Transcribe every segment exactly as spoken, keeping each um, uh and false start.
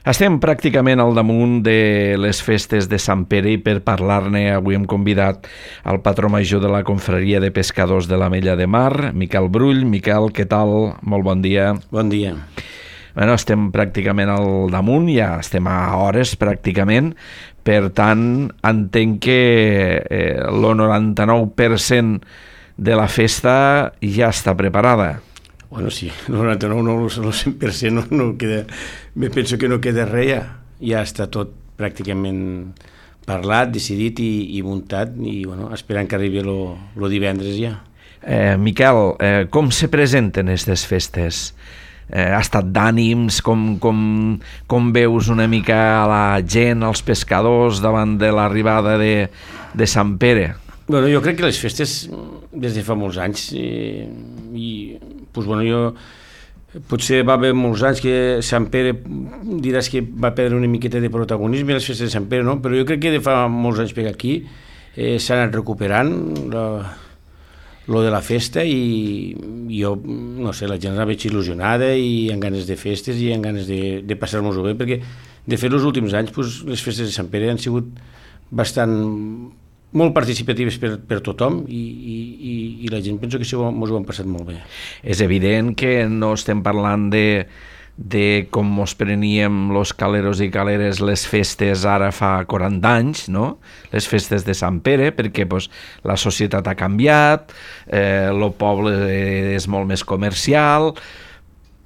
Estem pràcticament al damunt de les festes de Sant Pere i per parlar-ne avui hem convidat el patró major de la confraria de pescadors de l'Ametlla de Mar, Miquel Brull. Miquel, què tal? Molt bon dia. Bon dia. Bueno, estem pràcticament al damunt, ja estem a hores pràcticament, per tant entenc que eh, el noranta-nou per cent de la festa ja està preparada. Bueno, sí, el noranta-nou, no, el cent per cent no, no queda, me penso que no queda res ja, ja està tot pràcticament parlat, decidit i, i muntat i bueno, esperant que arribi el divendres ja. Eh, Miquel, eh, com se presenten aquestes festes? Eh, ha estat d'ànims, com, com, com veus una mica a la gent, als pescadors davant de l'arribada de, de Sant Pere? Bueno, jo crec que les festes des de fa molts anys eh, i pues, bueno, jo potser va haver molts anys que Sant Pere diràs que va perdre una miqueta de protagonisme les festes de Sant Pere, no? Però jo crec que de fa molts anys per aquí eh, s'ha anat recuperant la, lo de la festa i jo, no sé, la gent la veig il·lusionada i amb ganes de festes i amb ganes de, de passar-nos-ho bé, perquè de fet els últims anys pues, les festes de Sant Pere han sigut bastant molt participatives per, per tothom i, i, i la gent penso que ens ho, ho han passat molt bé. És evident que no estem parlant de, de com mos preníem los caleros i caleres les festes ara fa quaranta anys, no? Les festes de Sant Pere, perquè pues, la societat ha canviat, eh, el poble és molt més comercial,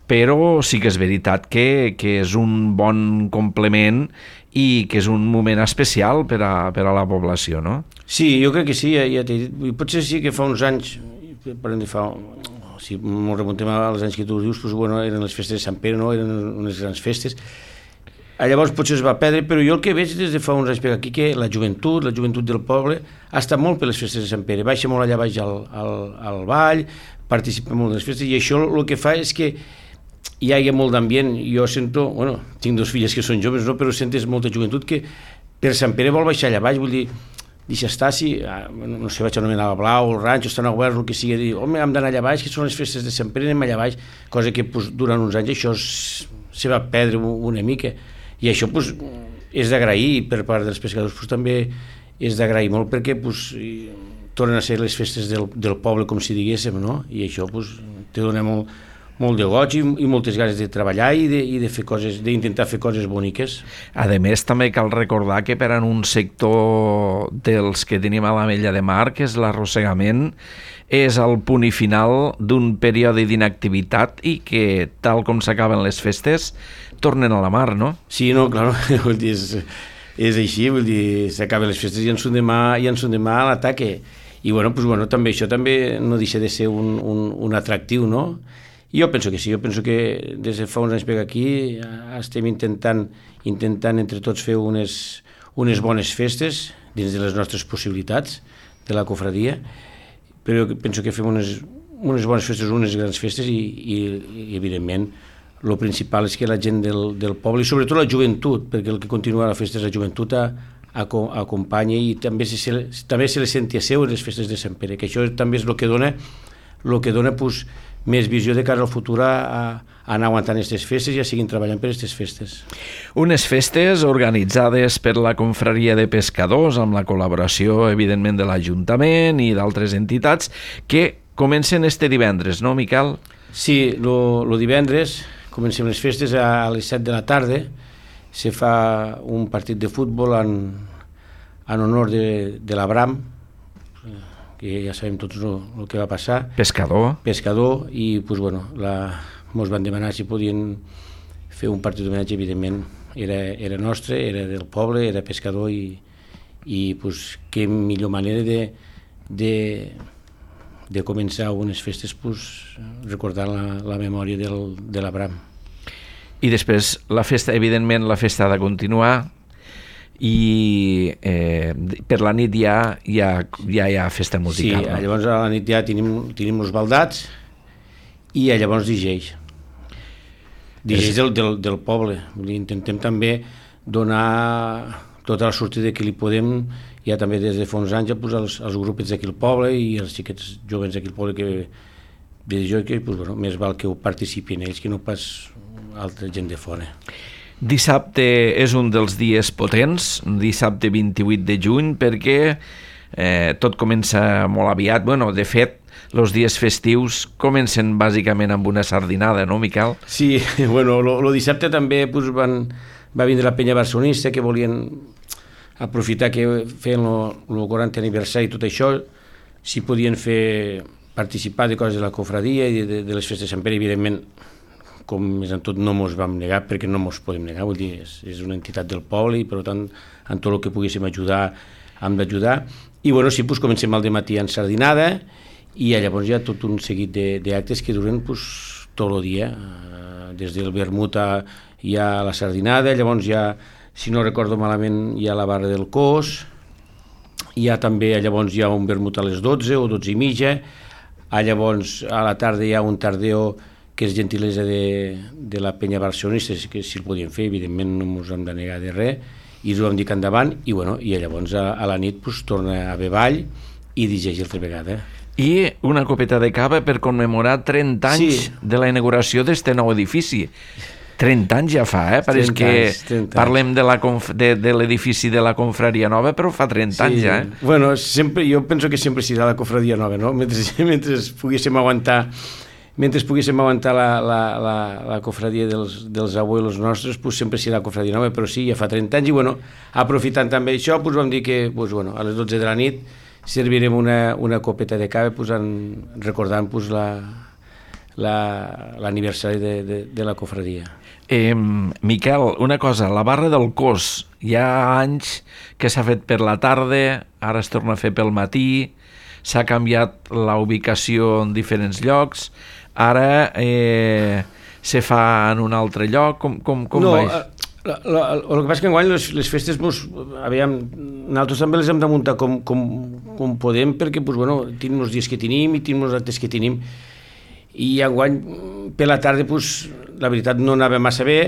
però sí que és veritat que, que és un bon complement i que és un moment especial per a, per a la població, no? Sí, jo crec que sí, ja, ja t'he dit. Potser sí que fa uns anys, parlem de fa, si ens remuntem als anys que tu dius, doncs, bueno, eren les festes de Sant Pere, no? Eren unes grans festes. Llavors potser es va perdre, però jo el que veig des de fa uns anys per aquí, que la joventut, la joventut del poble, ha estat molt per les festes de Sant Pere, baixa molt allà baix al, al, al ball, participa molt en les festes, i això el que fa és que hi ha molt d'ambient. Jo sento, bueno, tinc dos filles que són joves, no? Però sentes molta joventut que per Sant Pere vol baixar allà baix, vull dir, deixa estar, si, no sé, vaig anomenar el Blau, el Ranxo, estan oberts, el que sigui, dir, home, hem d'anar allà baix, que són les festes de Sant Pere, anem allà baix, cosa que pues, durant uns anys això se va perdre una mica, i això pues, és d'agrair per part dels pescadors, pues, també és d'agrair molt perquè pues, tornen a ser les festes del, del poble, com si diguéssim, no? I això pues, te dona molt molt de goig i, i moltes ganes de treballar i de, i de fer coses, d'intentar fer coses boniques. A més, també cal recordar que per a un sector dels que tenim a l'Ametlla de Mar, que és l'arrossegament, és el punt i final d'un període d'inactivitat i que, tal com s'acaben les festes, tornen a la mar, no? Sí, no, clar, vull dir, és, és així, vull dir, s'acaben les festes i en són demà, i en són demà a l'ataque. I bueno, pues, bueno, també això també no deixa de ser un, un, un atractiu, no? Jo penso que sí, jo penso que des de fa uns anys per aquí estem intentant, intentant entre tots fer unes, unes bones festes dins de les nostres possibilitats de la cofradia, però jo penso que fem unes, unes bones festes, unes grans festes i, i, i evidentment el principal és que la gent del, del poble, i sobretot la joventut, perquè el que continua a la festa és la joventut, a, a, a acompanya i també se, se, també se les senti a seu en les festes de Sant Pere, que això també és el que dona, el que dona pues, més visió de cara al futur a, a anar aguantant aquestes festes i a seguir treballant per aquestes festes. Unes festes organitzades per la confraria de pescadors amb la col·laboració, evidentment, de l'Ajuntament i d'altres entitats que comencen este divendres, no, Miquel? Sí, el divendres comencem les festes a les set de la tarda, se fa un partit de futbol en, en honor de, de l'Abram, que ja sabem tots el que va passar. Pescador. Pescador, i pues, bueno, la, mos van demanar si podien fer un partit d'homenatge, evidentment, era, era nostre, era del poble, era pescador, i, i pues, què millor manera de, de, de començar unes festes pues, recordant la, la memòria del, de l'Abram. I després, la festa, evidentment, la festa ha de continuar, i eh, per la nit ja, ja, ja hi ha festa musical. Sí, no? Llavors a la nit ja tenim, tenim els baldats i llavors digeix. Digeix del, del, del poble. Intentem també donar tota la sortida que li podem, ja també des de fa uns anys, ja, pues, als, als grupets d'aquí al poble i els xiquets jovens d'aquí al poble que de jo que pues, bueno, més val que ho participin ells que no pas altra gent de fora. Dissabte és un dels dies potents, dissabte vint-i-vuit de juny, perquè eh, tot comença molt aviat. Bueno, de fet, els dies festius comencen bàsicament amb una sardinada, no, Miquel? Sí, bueno, el dissabte també pues, van, va vindre la penya barcelonista, que volien aprofitar que feien el quaranta aniversari i tot això, si podien fer participar de coses de la cofradia i de, de les festes de Sant Pere, evidentment, com més en tot no mos vam negar, perquè no mos podem negar, vull dir, és, és una entitat del poble i per tant en tot el que poguéssim ajudar hem d'ajudar. I bueno, sí, pues, comencem al dematí en sardinada i llavors hi ha tot un seguit d'actes que duren pues, tot el dia, des del vermut a, hi ha la sardinada, llavors hi ha, si no recordo malament, hi ha la barra del cos, hi ha també, llavors hi ha un vermut a les dotze o dotze i mitja, a llavors a la tarda hi ha un tardeo que és gentilesa de, de la penya barcelonista, que si el podien fer, evidentment no ens hem de negar de res, i ens ho vam dir que endavant, i, bueno, i llavors a, a la nit pues, torna a haver ball i digeix altra vegada. I una copeta de cava per commemorar trenta anys sí. de la inauguració d'este nou edifici. trenta anys ja fa, eh? Pareix que anys, parlem de, la conf... de, de l'edifici de la Confraria Nova, però fa trenta sí. anys ja, eh? Bueno, sempre, jo penso que sempre serà la Confraria Nova, no? Mentre, mentre poguéssim aguantar mentre poguéssim aguantar la, la, la, la cofradia dels, dels abuelos nostres, pues sempre serà la Confraria Nova, però sí, ja fa trenta anys, i bueno, aprofitant també això, pues vam dir que pues, bueno, a les dotze de la nit servirem una, una copeta de cava pues, en, recordant pues, l'aniversari la, la, de, de, de la cofradia. Eh, Miquel, una cosa, la barra del cos, hi ha anys que s'ha fet per la tarda, ara es torna a fer pel matí, s'ha canviat la ubicació en diferents llocs, ara eh, se fa en un altre lloc, com, com, com no, va? La, la, el que passa que enguany les, les festes, pues, aviam, nosaltres també les hem de muntar com, com, com podem, perquè pues, bueno, tenim els dies que tenim i tenim els actes que tenim, i enguany per la tarda pues, la veritat no anava massa bé,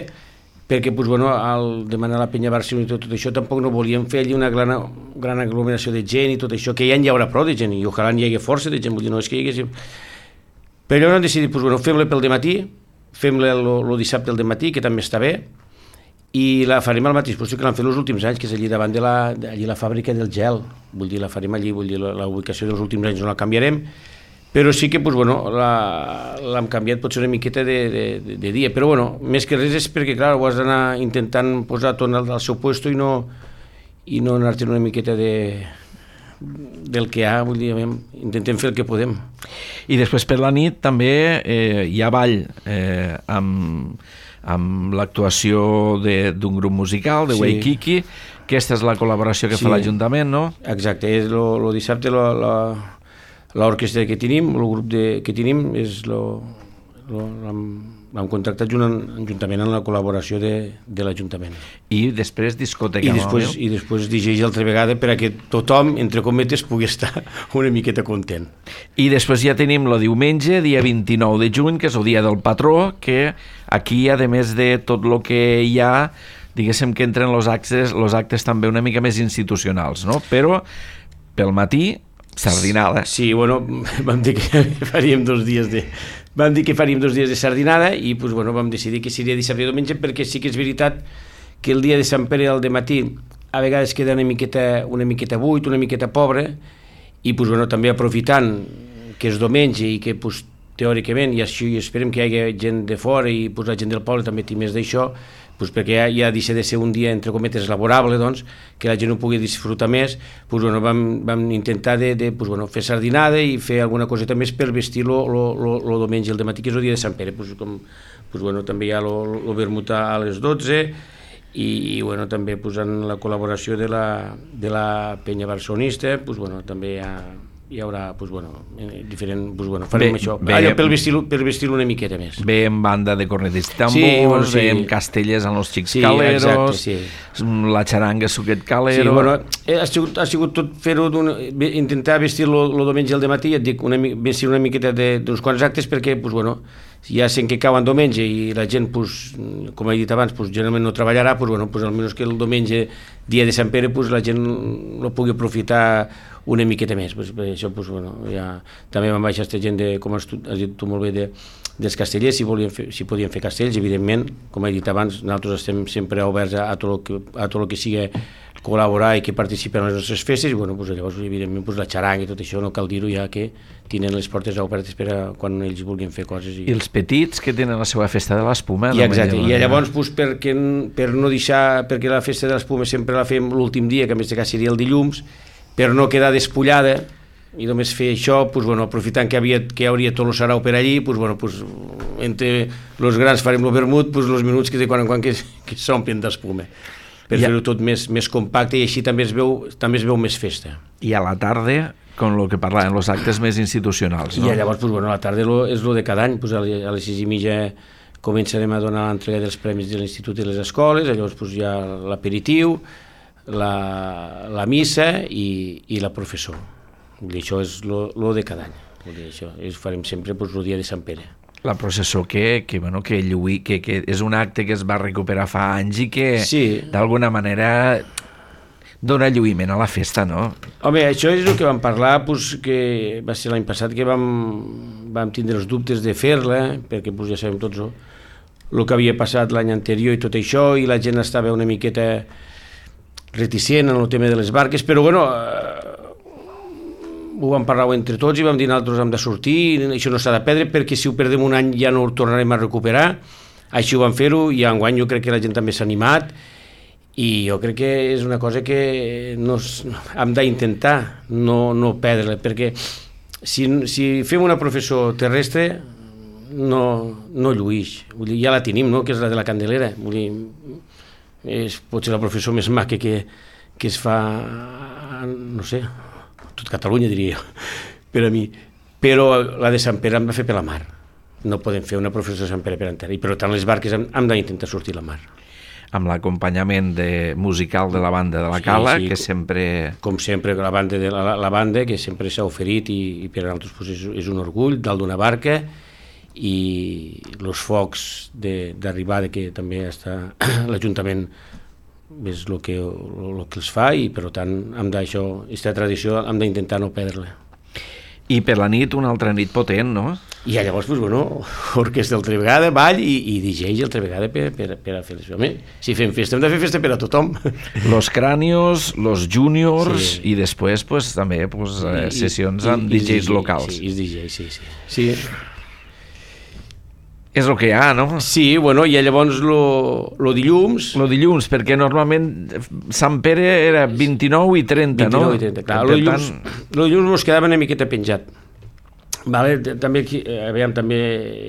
perquè pues, bueno, al demanar la penya Barcelona i tot, tot això tampoc no volíem fer allí una gran, gran aglomeració de gent i tot això, que ja hi haurà prou de gent i ojalà hi hagi força de gent, vull dir, no és que hi hagués... Però llavors hem decidit, pues, bueno, fem-la pel dematí, fem-la el dissabte al dematí, que també està bé, i la farem al mateix lloc que l'han fet els últims anys, que és allí davant de la, allí la fàbrica del gel, vull dir, la farem allí, vull dir, la, la ubicació dels últims anys no la canviarem, però sí que pues, bueno, l'hem canviat potser una miqueta de, de, de dia, però bueno, més que res és perquè clar, ho has d'anar intentant posar tot al, al seu lloc i no, i no anar-te'n una miqueta de, del que hi ha, vull dir, intentem fer el que podem. I després per la nit també eh, hi ha ball eh, amb, amb l'actuació d'un grup musical, de sí. Waikiki, aquesta és la col·laboració que sí. fa l'Ajuntament, no? Exacte, és el dissabte la, la l'orquestra que tenim, el grup de, que tenim, és lo, lo, l'hem contractat juntament amb la col·laboració de, de l'Ajuntament. I després discoteca. I després, i després digeix altra vegada per a que tothom, entre cometes, pugui estar una miqueta content. I després ja tenim el diumenge, dia vint-i-nou de juny, que és el dia del patró, que aquí, a més de tot el que hi ha, diguéssim que entren els actes, els actes també una mica més institucionals, no? Però pel matí sardinada. Sí, bueno, vam dir que faríem dos dies de vam dir que faríem dos dies de sardinada i pues, bueno, vam decidir que seria dissabte i diumenge, perquè sí que és veritat que el dia de Sant Pere al dematí a vegades queda una miqueta, una miqueta buit, una miqueta pobre, i pues, bueno, també aprofitant que és diumenge i que pues, teòricament, i així esperem que hi hagi gent de fora i pues, la gent del poble també té més d'això, pues perquè ja, ja deixa de ser un dia, entre cometes, laborable, doncs, que la gent ho pugui disfrutar més, pues, bueno, vam, vam intentar de, de pues, bueno, fer sardinada i fer alguna coseta més per vestir-lo el diumenge, el dematí, que és el dia de Sant Pere. Pues, com, pues, bueno, també hi ha el vermut a les dotze i, i bueno, també pues, en la col·laboració de la, de la penya barcelonista, pues, bueno, també hi ha... hi haurà, pues, bueno, diferent, pues, bueno, farem bé, això, bé, allò per vestir-lo per vestir-lo una miqueta més. Ve en banda de cornetes i tambors, sí, bueno, sí. Ve en castelles en els xics sí, caleros, exacte, sí. La xaranga suquet calero... Sí, bueno, ha sigut, ha sigut tot fer-ho, intentar vestir-lo el diumenge al dematí, et dic, una, vestir una miqueta d'uns quants actes, perquè, pues, bueno, ja sent que cau en diumenge i la gent, pues, com he dit abans, pues, generalment no treballarà, pues, bueno, pues, almenys que el diumenge, dia de Sant Pere, pues, la gent no pugui aprofitar una miqueta més. Pues, per això, pues, bueno, ja, també van baixar aquesta gent, de, com has, tu, has dit tu molt bé, de, dels castellers, si, volien fer, si podien fer castells, evidentment, com he dit abans, nosaltres estem sempre oberts a, a tot el que, a tot el que sigui col·laborar i que participen en les nostres festes, i bueno, pues, llavors, evidentment, pues, la xaranga i tot això, no cal dir-ho ja que tenen les portes obertes per a quan ells vulguin fer coses. I, I els petits que tenen la seva festa de l'espuma. I exacte, i llavors, pues, perquè, per no deixar, perquè la festa de l'espuma sempre la fem l'últim dia, que a més de cas seria el dilluns, per no quedar despullada, i només fer això, pues, bueno, aprofitant que, havia, que hi hauria tot el sarau per allí, pues, bueno, pues, entre els grans farem el vermut, pues, els minuts que de quan en quan que, que s'omplen d'espuma, per ja. fer-ho tot més, més compacte, i així també es veu, també es veu més festa. I a la tarda, com el que parlàvem, els actes més institucionals, no? I llavors, pues, bueno, a la tarda lo, és el de cada any, pues, a les sis i mitja començarem a donar l'entrega dels premis de l'institut i les escoles, llavors pues, hi ha l'aperitiu, la, la missa i, i la professó. I això és el de cada any. Vull dir, això és, farem sempre pues, el dia de Sant Pere. La processó que, que, bueno, que, lluï, que, que és un acte que es va recuperar fa anys i que sí. d'alguna manera dona lluïment a la festa, no? Home, això és el que vam parlar, pues, que va ser l'any passat que vam, vam tindre els dubtes de fer-la, perquè pues, ja sabem tots el, el que havia passat l'any anterior i tot això, i la gent estava una miqueta reticent en el tema de les barques, però bueno, ho vam parlar entre tots i vam dir nosaltres hem de sortir, això no s'ha de perdre perquè si ho perdem un any ja no ho tornarem a recuperar, així ho vam fer-ho i enguany jo crec que la gent també s'ha animat i jo crec que és una cosa que no, hem d'intentar no, no perdre-la, perquè si, si fem una professó terrestre no, no lluïix, vull dir, ja la tenim, no? Que és la de la Candelera, vull dir, és potser la professó més maca que, que es fa, no sé, tot Catalunya diria jo, per a mi, però la de Sant Pere hem de fer per la mar, no podem fer una professó de Sant Pere per entera, i per tant les barques hem, hem d'intentar sortir a la mar. Amb l'acompanyament de, musical de la banda de la Cala, sí, sí, que sempre... Com sempre, la banda, de la, la banda que sempre s'ha oferit i, i per a nosaltres pues, és, és un orgull dalt d'una barca, i els focs d'arribada que també està l'Ajuntament és el que, el que els fa i per tant hem d'això, aquesta tradició hem d'intentar no perdre-la. I per la nit una altra nit potent, no? I llavors, pues, bueno, orquestra altra vegada, ball i, i D Js altra vegada per, per, per a fer les... Home, si fem festa hem de fer festa per a tothom. Los Cranios, los Juniors, sí. I després pues, també pues, I, sessions i, amb i, D Js i, locals. Sí, i D Js, sí, sí. sí. És el que hi ha, no? Sí, bueno, i llavors lo, lo dilluns... Lo dilluns, perquè normalment Sant Pere era vint-i-nou i trenta, vint-i-nou no? vint-i-nou i trenta, clar. Lo dilluns, tant... lo dilluns mos quedava una miqueta penjat. Vale? També, aquí, aviam, també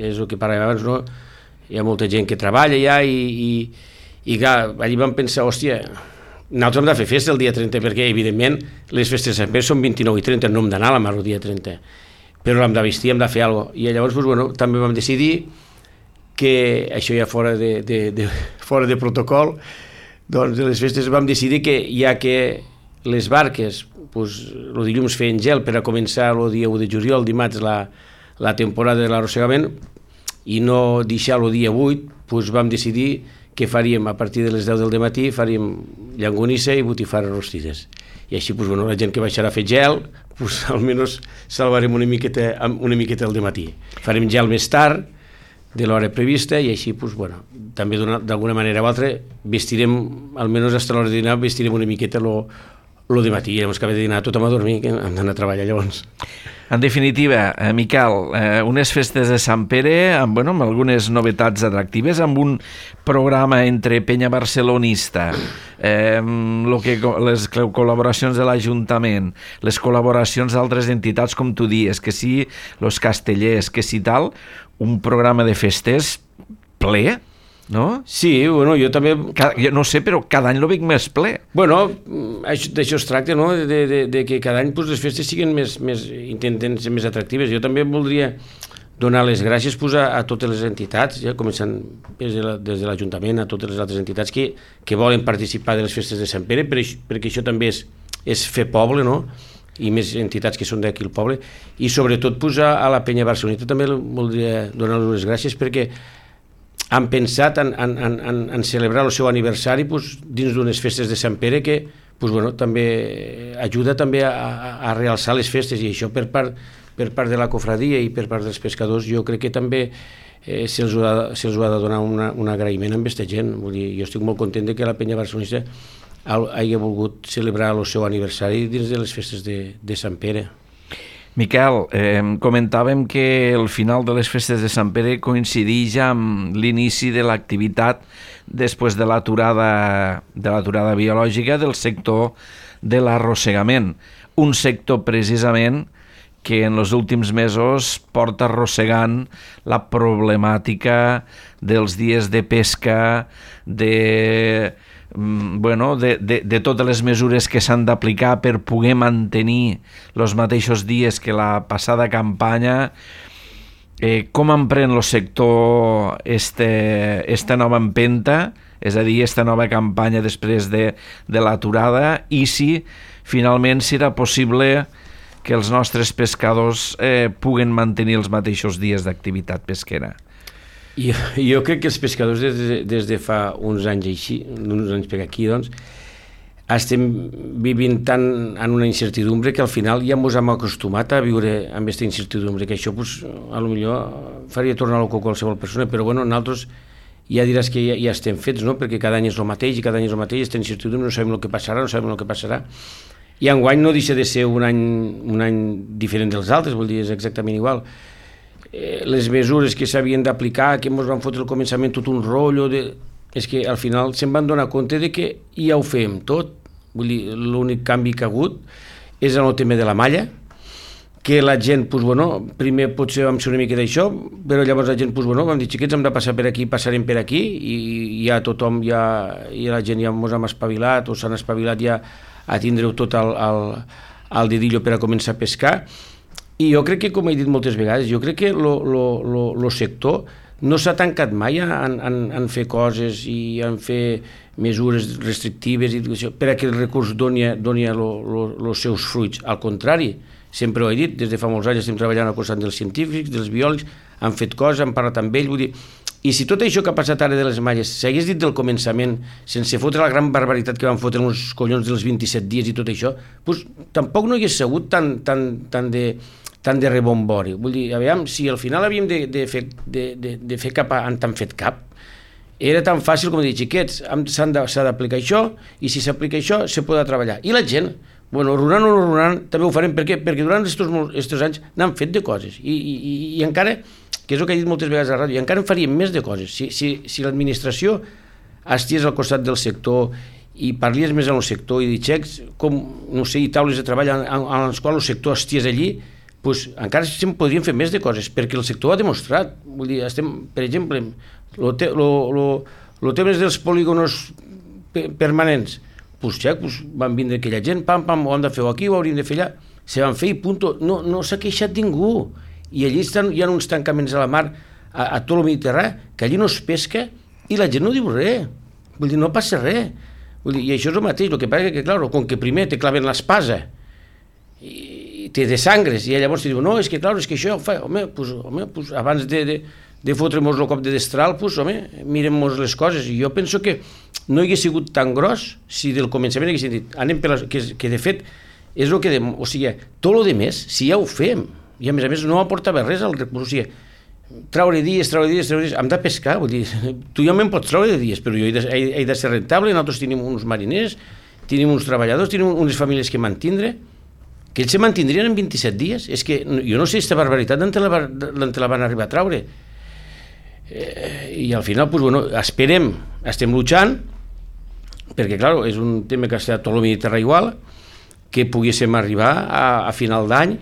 és el que parlàvem abans, no? Hi ha molta gent que treballa ja i, i, i clar, allí vam pensar, hòstia, nosaltres hem de fer festa el dia trenta, perquè evidentment les festes de Sant Pere són vint-i-nou i trenta, no hem d'anar a la mar el dia trenta, però hem de vestir, hem de fer alguna cosa. I llavors, pues, bueno, també vam decidir que això ja fora de, de, de, fora de protocol, doncs de les festes vam decidir que ja que les barques, pues, el dilluns feien gel per a començar el dia u de juliol, dimarts la, la temporada de l'arrossegament, i no deixar el dia vuit, pues, vam decidir que faríem a partir de les deu del matí, faríem llangonissa i botifarres rostides. I així, pues, bueno, la gent que baixarà a fer gel, pues, almenys salvarem una miqueta, una miqueta el dematí. Farem gel més tard, de l'hora prevista, i així, pues, bueno, també d'alguna manera o altra vestirem, almenys fins a l'hora de dinar, vestirem una miqueta lo, lo de matí, i llavors que de dinar tothom a dormir, que hem d'anar a treballar llavors. En definitiva, eh, Miquel, eh, unes festes de Sant Pere amb, bueno, amb algunes novetats atractives, amb un programa entre penya barcelonista, eh, lo que, les col·laboracions de l'Ajuntament, les col·laboracions d'altres entitats, com tu dies, que sí, los castellers, que sí tal, un programa de festes ple, no? Sí, bueno, jo també... Cada, jo no sé, però cada any lo veig més ple. Bueno, d'això es tracta, no?, de, de, de que cada any pues, les festes siguin més, més, intenten ser més atractives. Jo també voldria donar les gràcies pues, a, a totes les entitats, ja, començant des de l'Ajuntament, a totes les altres entitats que, que volen participar de les festes de Sant Pere, per, perquè això també és, és fer poble, no?, i més entitats que són d'aquí al poble, i sobretot pues, a, a la penya barcelonita també voldria donar les gràcies perquè han pensat en, en, en, en celebrar el seu aniversari pues, dins d'unes festes de Sant Pere que pues, bueno, també ajuda també a, a, a realçar les festes, i això per part, per part de la cofradia i per part dels pescadors jo crec que també eh, se'ls ha, se ha de donar una, un agraïment amb aquesta gent. Vull dir, jo estic molt content de que la penya barcelonista hagi volgut celebrar el seu aniversari dins de les festes de, de Sant Pere. Miquel, eh, comentàvem que el final de les festes de Sant Pere coincideix amb l'inici de l'activitat després de l'aturada de l'aturada biològica del sector de l'arrossegament. Un sector precisament que en els últims mesos porta arrossegant la problemàtica dels dies de pesca, de... Bueno, de, de, de totes les mesures que s'han d'aplicar per poder mantenir els mateixos dies que la passada campanya. Eh, com emprèn el sector este, esta nova empenta, és a dir, esta nova campanya després de, de l'aturada, i si finalment serà possible que els nostres pescadors eh, puguen mantenir els mateixos dies d'activitat pesquera? Jo, jo crec que els pescadors des de, des de fa uns anys així, uns anys per aquí, doncs, estem vivint tant en una incertidumbre que al final ja ens hem acostumat a viure amb aquesta incertidumbre, que això, pues, a lo millor faria tornar loco qualsevol persona, però bueno, nosaltres ja diràs que ja, ja estem fets, no? Perquè cada any és el mateix i cada any és el mateix, estem en incertidumbre, no sabem el que passarà, no sabem el que passarà, i enguany no deixa de ser un any, un any diferent dels altres, vol dir, és exactament igual. Les mesures que s'havien d'aplicar, que ens van fotre al començament tot un rotllo, de... és que al final se'n van donar compte de que ja ho fem tot. Vull dir, l'únic canvi que ha hagut és en el tema de la malla, que la gent, pues, bueno, primer potser vam ser una mica d'això, però llavors la gent, pues, bueno, vam dir, xiquets, hem de passar per aquí, passarem per aquí, i ja tothom, ja, i la gent ja ens hem espavilat, o s'han espavilat ja a tindre-ho tot al, al, al dedillo per a començar a pescar. I jo crec que, com he dit moltes vegades, jo crec que el sector no s'ha tancat mai en, en, en fer coses i en fer mesures restrictives i per a que el recurs doni, doni els seus fruits. Al contrari, sempre ho he dit, des de fa molts anys estem treballant al costat dels científics, dels biòlegs, han fet coses, han parlat amb ells, vull dir, i si tot això que ha passat ara de les malles s'hagués dit del començament, sense fotre la gran barbaritat que van fotre uns collons dels vint-i-set dies i tot això, doncs tampoc no hi hagués sigut tant, tant, tant de... tant de rebombori. Vull dir, aviam, si al final havíem de, de, fer, de, de, de fer cap, han tan fet cap, era tan fàcil com dir, xiquets, s'ha d'aplicar això, i si s'aplica això, se pot treballar. I la gent, bueno, runant o no runant, també ho farem. Per què? Perquè durant aquests anys n'han fet de coses. I, i, i encara, que és el que he dit moltes vegades a la ràdio, i encara en faríem més de coses. Si, si, si l'administració esties al costat del sector i parlies més en el sector i dir, xecs, com, no sé, i taules de treball en, en, en les quals el sector esties allí, pues, encara se'n podrien fer més de coses, perquè el sector ha demostrat. Vull dir, estem, per exemple, el te, tema dels polígonos permanents, pues, ja, pues, van vindre aquella gent, pam, pam, ho hem de fer aquí, ho hauríem de fer allà, se van fer i punto. No, no s'ha queixat ningú. I allí estan, hi ha uns tancaments a la mar, a, a tot el Mediterrani, que allí no es pesca i la gent no diu res. Vull dir, no passa res. Vull dir, i això és el mateix, el que passa que, clar, com que primer te claven l'espasa i te desangres, i llavors te diuen, no, és que, clar, és que això, fa, home, pues, home pues, abans de, de, de fotre-mos el cop de destral, pues, home, mirem-nos les coses. I jo penso que no hagués sigut tan gros si del començament haguessin dit, anem per les, que, que de fet és el que, de, o sigui, tot el de més, si ja ho fem, i a més a més no aportava res al recurs, o sigui, traure dies, traure dies, traure dies, hem de pescar, vull dir, tu ja me'n pots traure de dies, però jo he de, he, he de ser rentable, nosaltres tenim uns mariners, tenim uns treballadors, tenim unes famílies que mantindre, que ells se mantindrien en vint-i-set dies. És que jo no sé aquesta barbaritat d'on te, te la van arribar a traure. Eh, I al final, pues, bueno, esperem, estem luchant, perquè, clar, és un tema que està tot el Mediterrani igual, que poguéssim arribar a, a final d'any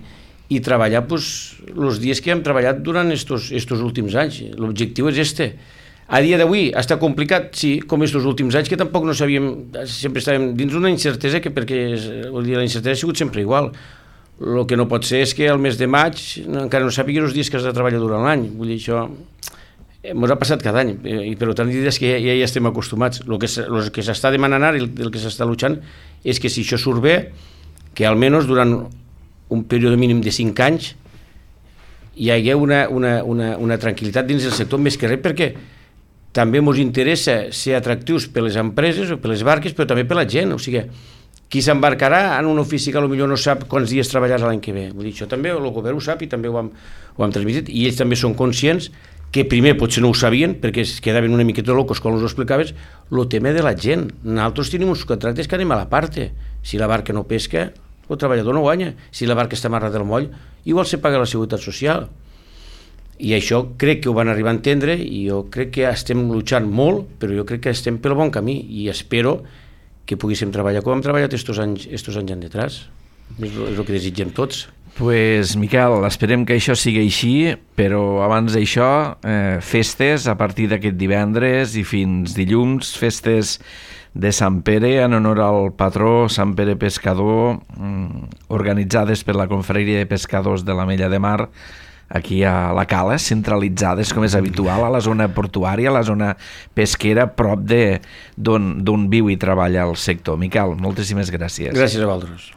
i treballar pues, els dies que hem treballat durant estos, estos últims anys. L'objectiu és este. A dia d'avui està complicat, sí, com estos últims anys, que tampoc no sabíem, sempre estàvem dins una incertesa, que perquè vol dir, la incertesa ha sigut sempre igual. El que no pot ser és que al mes de maig encara no sàpigues els dies que has de treballar durant l'any. Vull dir, això ens ha passat cada any, i per tant és que ja, ja hi estem acostumats. El que, el que s'està demanant ara i el que s'està luchant és que si això surt bé, que almenys durant un període mínim de cinc anys hi hagi una, una, una, una tranquil·litat dins del sector, més que res perquè també ens interessa ser atractius per les empreses o per les barques, però també per la gent, o sigui, qui s'embarcarà en un ofici que potser no sap quants dies treballarà l'any que ve. Vull dir, això també el govern ho sap i també ho hem, ho hem transmitit, i ells també són conscients que primer potser no ho sabien perquè es quedaven una miqueta locos quan us ho explicaves, el tema de la gent. Nosaltres tenim uns contractes que anem a la parte. Si la barca no pesca, el treballador no guanya. Si la barca està amarrada del moll, igual se paga la seguretat social. I això crec que ho van arribar a entendre, i jo crec que estem lluitant molt, però jo crec que estem pel bon camí, i espero que poguéssim treballar com hem treballat estos anys, estos anys en detrás. És el que desitgem tots. Pues, Miquel, esperem que això sigui així, però abans d'això, eh, festes a partir d'aquest divendres i fins dilluns, festes de Sant Pere en honor al patró Sant Pere Pescador, mm, organitzades per la Confraria de Pescadors de la Mella de Mar, aquí a la Cala, centralitzades com és habitual a la zona portuària, a la zona pesquera, prop d'on viu i treballa el sector. Miquel, moltíssimes gràcies. Gràcies a vosaltres.